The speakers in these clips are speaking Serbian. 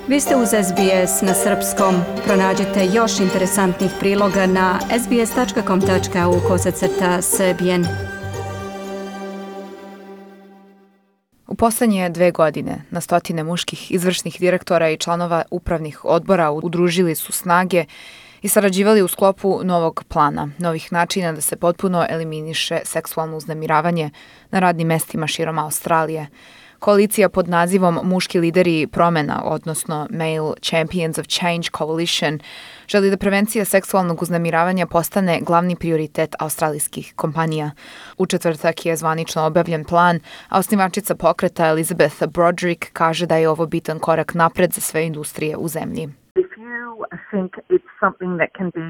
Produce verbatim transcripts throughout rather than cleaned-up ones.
Vi ste uz S B S na srpskom. Pronađite još interesantnih priloga na sbs.com.au kosacrta srbijen. U poslednje dve godine na stotine muških izvršnih direktora i članova upravnih odbora udružili su snage i sarađivali u sklopu novog plana, novih načina da se potpuno eliminiše seksualno uznemiravanje na radnim mestima širom Australije. Koalicija pod nazivom Muški lideri promena, odnosno Male Champions of Change Coalition, želi da prevencija seksualnog uznemiravanja postane glavni prioritet australijskih kompanija. U četvrtak je zvanično objavljen plan, a osnivačica pokreta Elizabeth Broderick kaže da je ovo bitan korak napred za sve industrije u zemlji. If you think it's something that can be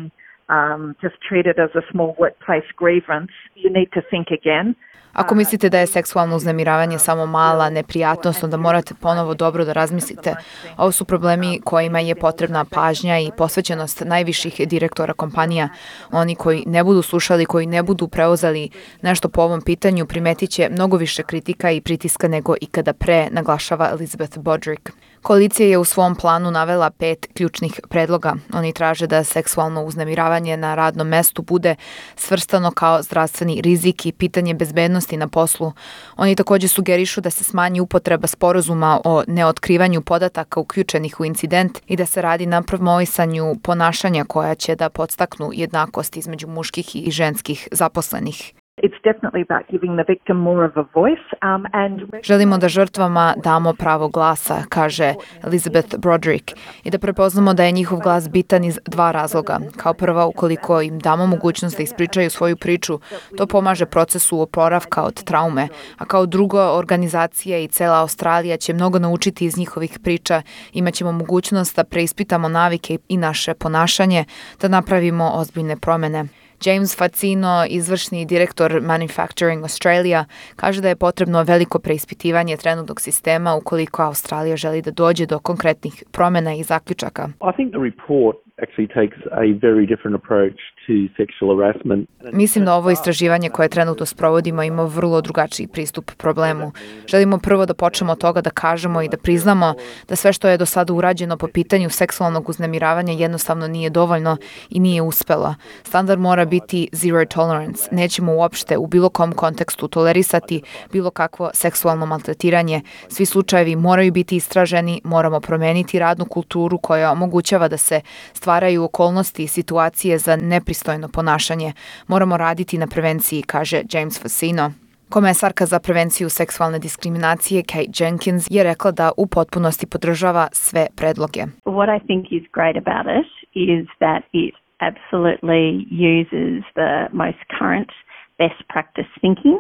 um, just treated as a small workplace grievance, you need to think again. Ako mislite da je seksualno uznemiravanje samo mala neprijatnost, onda morate ponovo dobro da razmislite. Ovo su problemi kojima je potrebna pažnja i posvećenost najviših direktora kompanija. Oni koji ne budu slušali, koji ne budu preuzeli nešto po ovom pitanju, primetit će mnogo više kritika i pritiska nego ikada pre, naglašava Elizabeth Broderick. Koalicija je u svom planu navela pet ključnih predloga. Oni traže da seksualno uznemiravanje na radnom mestu bude svrstano kao zdravstveni rizik i pitanje bezbednosti na poslu. Oni takođe sugerišu da se smanji upotreba sporazuma o neotkrivanju podataka uključenih u incident i da se radi na promovisanju ponašanja koja će da podstaknu jednakost između muških i ženskih zaposlenih. It's definitely about giving the victim more of a voice, um, and... Želimo da žrtvama damo pravo glasa, kaže Elizabeth Broderick, i da prepoznamo da je njihov glas bitan iz dva razloga. Kao prva, ukoliko im damo mogućnost da ispričaju svoju priču, to pomaže procesu oporavka od traume, a kao drugo, organizacija i cela Australija će mnogo naučiti iz njihovih priča, imaćemo mogućnost da preispitamo navike i naše ponašanje, da napravimo ozbiljne promene. James Fazzino, izvršni direktor Manufacturing Australia, kaže da je potrebno veliko preispitivanje trenutnog sistema ukoliko Australija želi da dođe do konkretnih promena i zaključaka. I think the report actually takes a very different approach to sexual harassment. Mislim da ovo istraživanje koje trenutno sprovodimo ima vrlo drugačiji pristup problemu. Želimo prvo da počnemo od toga da kažemo i da priznamo da sve što je do sada urađeno po pitanju seksualnog uznemiravanja jednostavno nije dovoljno i nije uspelo. Standard mora biti zero tolerance. Nećemo uopšte u bilo kom kontekstu tolerisati bilo kakvo seksualno maltretiranje. Svi slučajevi moraju biti istraženi, moramo promeniti radnu kulturu koja omogućava da se stvaraju okolnosti i situacije za nepristojno ponašanje. Moramo raditi na prevenciji, kaže James Fazzino. Komesarka za prevenciju seksualne diskriminacije Kate Jenkins je rekla da u potpunosti podržava sve predloge. What I think is great about it is that it absolutely uses the most current best practice thinking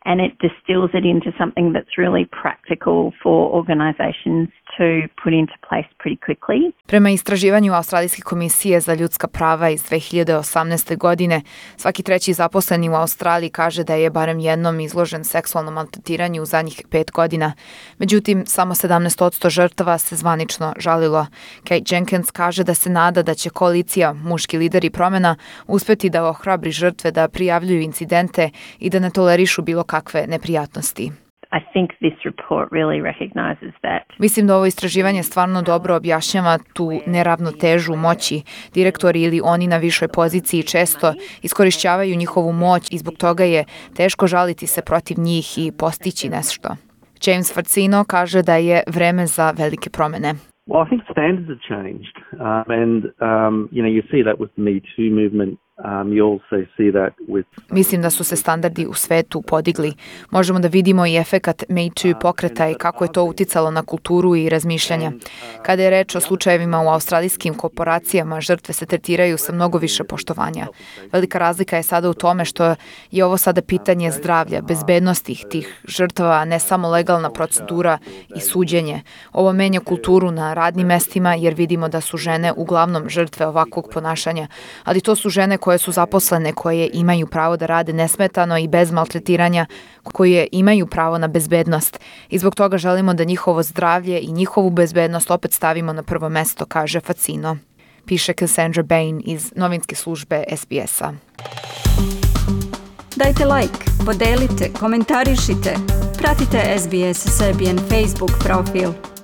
and it distills it into something that's really practical for organizations to put into place pretty quickly. Prema istraživanju Australijske komisije za ljudska prava iz dve hiljade osamnaeste. godine, svaki treći zaposleni u Australiji kaže da je barem jednom izložen seksualnom maltretiranju u zadnjih pet godina. Međutim, samo sedamnaest posto žrtava se zvanično žalilo. Kate Jenkins kaže da se nada da će koalicija Muški lideri promena uspeti da ohrabri žrtve da prijavljuju incidente i da ne tolerišu bilo kakve neprijatnosti. I think this report really recognizes that. Mislim da ovo istraživanje stvarno dobro objašnjava tu neravnotežu moći. Direktori ili oni na višoj poziciji često iskorišćavaju njihovu moć i zbog toga je teško žaliti se protiv njih i postići nešto. James Fazzino kaže da je vreme za velike promene. Well, I think standards have changed, um, and um, you know you see that with the Me Too movement. Um, you also see that with... Mislim da su se standardi u svetu podigli. Možemo da vidimo i efekat Me Too pokreta i kako je to uticalo na kulturu i razmišljanja. Kada je reč o slučajevima u australijskim korporacijama, žrtve se tretiraju sa mnogo više poštovanja. Velika razlika je sada u tome što je ovo sada pitanje zdravlja, bezbednosti tih žrtava, a ne samo legalna procedura i suđenje. Ovo menja kulturu na radnim mestima jer vidimo da su žene uglavnom žrtve ovakvog ponašanja, ali to su žene koje su zaposlene, koje imaju pravo da rade nesmetano i bez maltretiranja, koje imaju pravo na bezbednost. I zbog toga želimo da njihovo zdravlje i njihovu bezbednost opet stavimo na prvo mesto, kaže Fazzino. Piše Cassandra Bain iz novinske službe S B S-a. Dajte like, podelite, komentarišite. Pratite S B S Serbian Facebook profil.